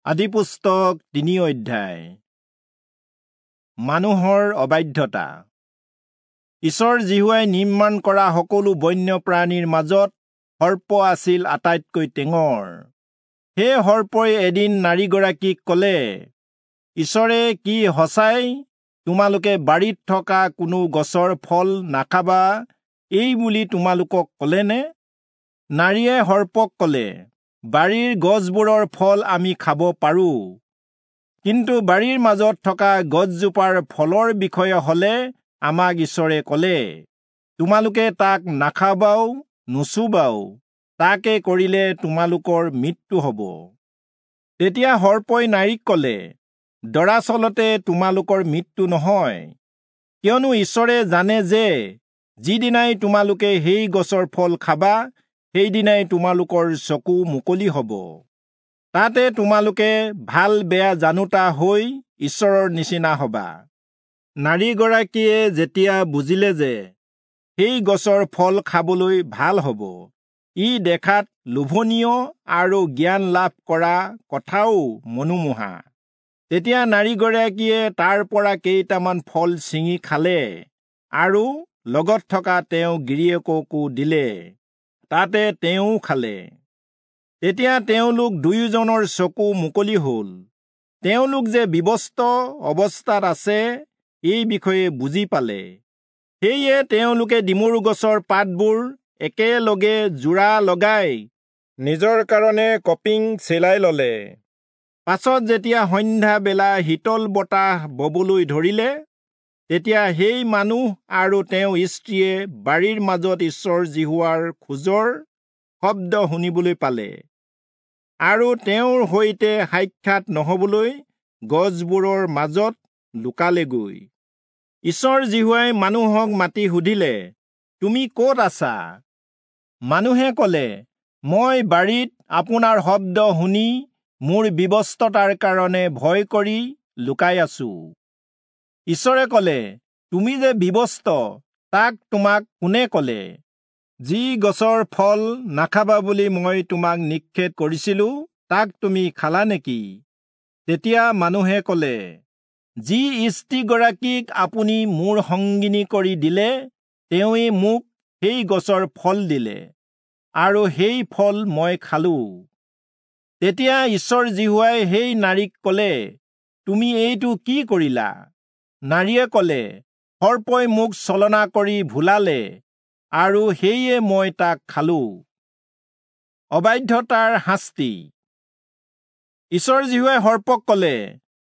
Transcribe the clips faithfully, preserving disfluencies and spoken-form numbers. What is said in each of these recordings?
আদিপুস্তক তিনি অধ্যায়। মানুহৰ অবাধ্যতা। ঈশ্বৰ যিহোৱাই নিৰ্মাণ কৰা সকলো বন্য প্ৰাণীৰ মাজত সৰ্প আছিল আটাইতকৈ টেঙৰ। সেই সৰ্পই এদিন নাৰীগৰাকীক কলে, ঈশ্বৰে কি সঁচাই তোমালোকে বাৰীত থকা কোনো গছৰ ফল নাখাবা এই বুলি তোমালোকক কলেনে? নাৰীয়ে সৰ্পক কলে, বাৰীৰ গছবোৰৰ ফল আমি খাব পাৰোঁ, কিন্তু বাৰীৰ মাজত থকা গছজোপাৰ ফলৰ বিষয়ে হলে আমাক ঈশ্বৰে কলে, তোমালোকে তাক নাখাবাও নুচুবাও, তাকে কৰিলে তোমালোকৰ মৃত্যু হব। তেতিয়া সৰ্পই নাৰীক কলে, দৰাচলতে তোমালোকৰ মৃত্যু নহয়, কিয়নো ঈশ্বৰে জানে যে যিদিনাই তোমালোকে সেই গছৰ ফল খাবা সেইদিনাই তোমালোকৰ চকু মুকলি হব, তাতে তোমালোকে ভাল বেয়া জানোতা হৈ ঈশ্বৰৰ নিচিনা হবা। নাৰীগৰাকীয়ে যেতিয়া বুজিলে যে সেই গছৰ ফল খাবলৈ ভাল হব, ই দেখাত লোভনীয় আৰু জ্ঞান লাভ কৰা কথাও মনোমোহা, তেতিয়া নাৰীগৰাকীয়ে তাৰ পৰা কেইটামান ফল ছিঙি খালে আৰু লগত থকা তেওঁ গিৰিয়েককো দিলে, তাতে তেওঁ খালে। তেতিয়া তেওঁলোক দুয়োজনৰ চকু মুকলি হল, তেওঁলোক যে বিৱস্ত্ৰ অৱস্থাত আছে এই বিষয়ে বুজি পালে। সেয়ে তেওঁলোকে ডিমৰু গছৰ পাতবোৰ একেলগে জোৰা লগাই নিজৰ কাৰণে কপিং চিলাই ললে। পাছত যেতিয়া সন্ধ্যা বেলা শীতল বতাহ ববলৈ ধৰিলে, তেতিয়া সেই মানুহ আৰু তেওঁ স্ত্ৰীয়ে বাৰীৰ মাজত ঈশ্বৰ যিহোৱাৰ খোজৰ শব্দ শুনিবলৈ পালে, আৰু তেওঁৰ সৈতে সাক্ষাৎ নহবলৈ গছবোৰৰ মাজত লুকালেগৈ। ঈশ্বৰ যিহোৱাই মানুহক মাতি সুধিলে, তুমি ক'ত আছা? মানুহে কলে, মই বাৰীত আপোনাৰ শব্দ শুনি মোৰ বিৱস্ত্ৰতাৰ কাৰণে ভয় কৰি লুকাই আছো। ঈশ্বৰে কলে, তুমি যে বিৱস্ত্ৰ তাক তোমাক কোনে কলে? যি গছৰ ফল নাখাবা বুলি মই তোমাক নিষেধ কৰিছিলো তাক তুমি খালা নেকি? তেতিয়া মানুহে কলে, যি স্ত্ৰীগৰাকীক আপুনি মোৰ সংগিনী কৰি দিলে তেওঁৱেই মোক সেই গছৰ ফল দিলে, আৰু সেই ফল মই খালো। তেতিয়া ঈশ্বৰ যিহোৱাই সেই নাৰীক কলে, তুমি এইটো কি কৰিলা? নাৰীয়ে কলে, সৰ্পই মোক ছলনা কৰি ভুলালে, আৰু সেয়ে মই তাক খালো। অবাধ্যতাৰ শাস্তি। ঈশ্বৰ যিহোৱাই সৰ্পক কলে,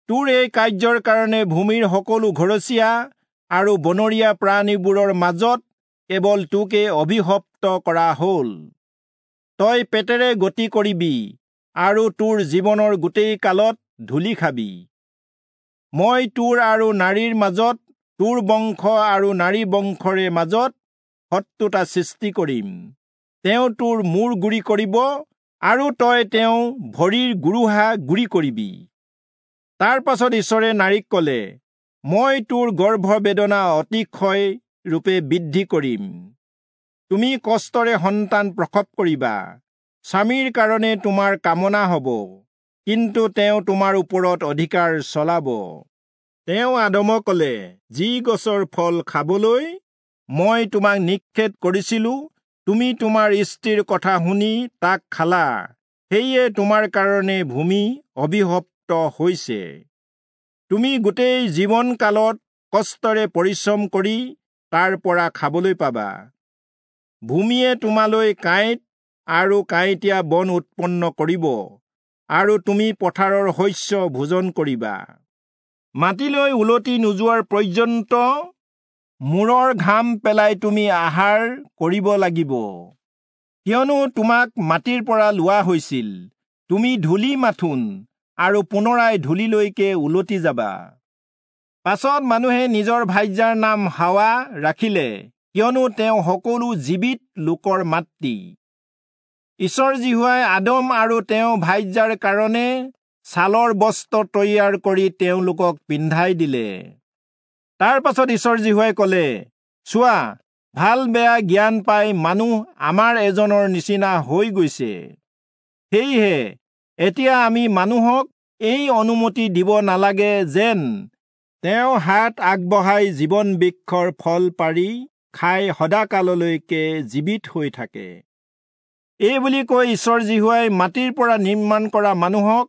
তোৰ এই কাৰ্যৰ কাৰণে ভূমিৰ সকলো ঘৰচীয়া আৰু বনৰীয়া প্ৰাণীবোৰৰ মাজত কেৱল তোকে অভিশপ্ত কৰা হল। তই পেটেৰে গতি কৰিবি আৰু তোৰ জীৱনৰ গোটেই কালত ধূলি খাবি। মই তোৰ আৰু নাৰীৰ মাজত, তোৰ বংশ আৰু নাৰী বংশৰে মাজত শত্ৰুতা সৃষ্টি কৰিম। তেওঁ তোৰ মূৰ গুৰি কৰিব আৰু তই তেওঁ ভৰিৰ গোৰোহা গুৰি কৰিবি। তাৰ পাছত ঈশ্বৰে নাৰীক কলে, মই তোৰ গৰ্ভবেদনা অতিশয় ৰূপে বৃদ্ধি কৰিম, তুমি কষ্টৰে সন্তান প্ৰসৱ কৰিবা। স্বামীৰ কাৰণে তোমাৰ কামনা হব, কিন্তু তেওঁ তোমাৰ ওপৰত অধিকাৰ চলাব। তেওঁ আদমক কলে, যি গছৰ ফল খাবলৈ মই তোমাক নিষেধ কৰিছিলো, তুমি তোমাৰ স্ত্ৰীৰ কথা শুনি তাক খালা, সেয়ে তোমাৰ কাৰণে ভূমি অভিশপ্ত হৈছে। তুমি গোটেই জীৱনকালত কষ্টৰে পৰিশ্ৰম কৰি তাৰ পৰা খাবলৈ পাবা। ভূমিয়ে তোমালৈ কাঁইট আৰু কাঁইটীয়া বন উৎপন্ন কৰিব, আৰু তুমি পথাৰৰ শস্য ভোজন কৰিবা। মাটিলৈ উলটি নোযোৱাৰ পৰ্যন্ত মূৰৰ ঘাম পেলাই তুমি আহাৰ কৰিব লাগিব, কিয়নো তোমাক মাটিৰ পৰা লোৱা হৈছিল। তুমি ধূলি মাথোন আৰু পুনৰাই ধূলিলৈকে উলটি যাবা। পাছত মানুহে নিজৰ ভাৰ্যাৰ নাম হাৱা ৰাখিলে, কিয়নো তেওঁ সকলো জীৱিত লোকৰ মাতৃ। ঈশ্বৰ যিহোৱাই আদম আৰু তেওঁ ভাৰ্যাৰ কাৰণে ছালৰ বস্ত্ৰ তৈয়াৰ কৰি তেওঁলোকক পিন্ধাই দিলে। তাৰ পাছত ঈশ্বৰ যিহোৱাই কলে, চোৱা, ভাল বেয়া জ্ঞান পাই মানুহ আমাৰ এজনৰ নিচিনা হৈ গৈছে। সেয়েহে এতিয়া আমি মানুহক এই অনুমতি দিব নালাগে যেন তেওঁ হাত আগবঢ়াই জীৱন বৃক্ষৰ ফল পাৰি খাই সদাকাললৈকে জীৱিত হৈ থাকে। এই বুলি কৈ ঈশ্বৰ যিহোৱাই মাটিৰ পৰা নিৰ্মাণ কৰা মানুহক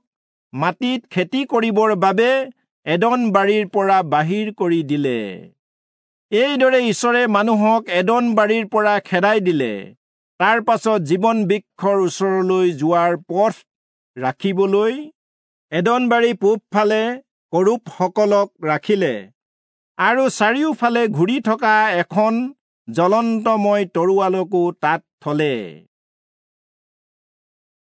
মাটিত খেতি কৰিবৰ বাবে এদন বাৰীৰ পৰা বাহিৰ কৰি দিলে। এইদৰে ঈশ্বৰে মানুহক এদন বাৰীৰ পৰা খেদাই দিলে। তাৰ পাছত জীৱন বৃক্ষৰ ওচৰলৈ যোৱাৰ পথ ৰাখিবলৈ এদন বাৰী পূবফালে কৰূবসকলক ৰাখিলে আৰু চাৰিওফালে ঘূৰি থকা এখন জ্বলন্তময় তৰোৱালকো তাত থলে।